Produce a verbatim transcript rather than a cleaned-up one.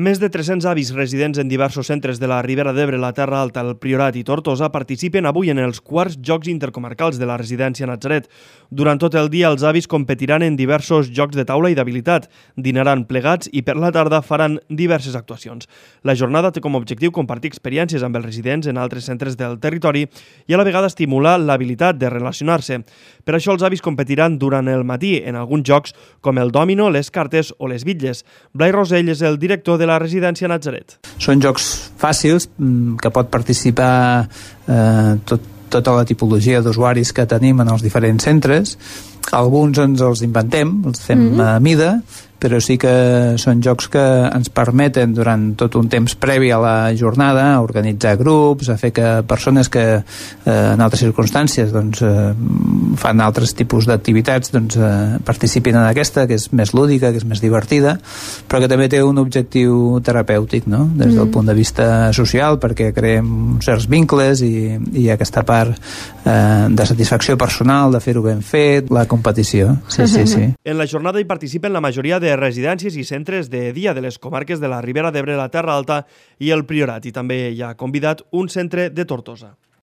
Més de tres-cents avis residents en diversos centres de la Ribera d'Ebre, la Terra Alta, el Priorat i Tortosa participen avui en els quarts Jocs Intercomarcals de la residència Natzaret. Durant tot el dia, els avis competiran en diversos jocs de taula i d'habilitat, dinaran plegats i per la tarda faran diverses actuacions. La jornada té com a objectiu compartir experiències amb els residents en altres centres del territori i a la vegada estimular l'habilitat de relacionar-se. Per això els avis competiran durant el matí en alguns jocs com el dòmino, les cartes o les bitlles. Blai Rosell és el director de la residència Natzaret. Són jocs fàcils que pot participar eh, tot, tota la tipologia d'usuaris que tenim en els diferents centres. Alguns ens els inventem, els fem mm-hmm. a mida, però sí que són jocs que ens permeten durant tot un temps previ a la jornada a organitzar grups, a fer que persones que eh, en altres circumstàncies doncs, eh, fan altres tipus d'activitats doncs, eh, participin en aquesta, que és més lúdica, que és més divertida, però que també té un objectiu terapèutic, no? Des del mm. punt de vista social, perquè creem certs vincles i, i aquesta part eh, de satisfacció personal, de fer-ho ben fet, la competició. Sí, sí, sí. En la jornada hi participen la majoria de residències i centres de dia de les comarques de la Ribera d'Ebre, la Terra Alta i el Priorat, i també hi ha convidat un centre de Tortosa.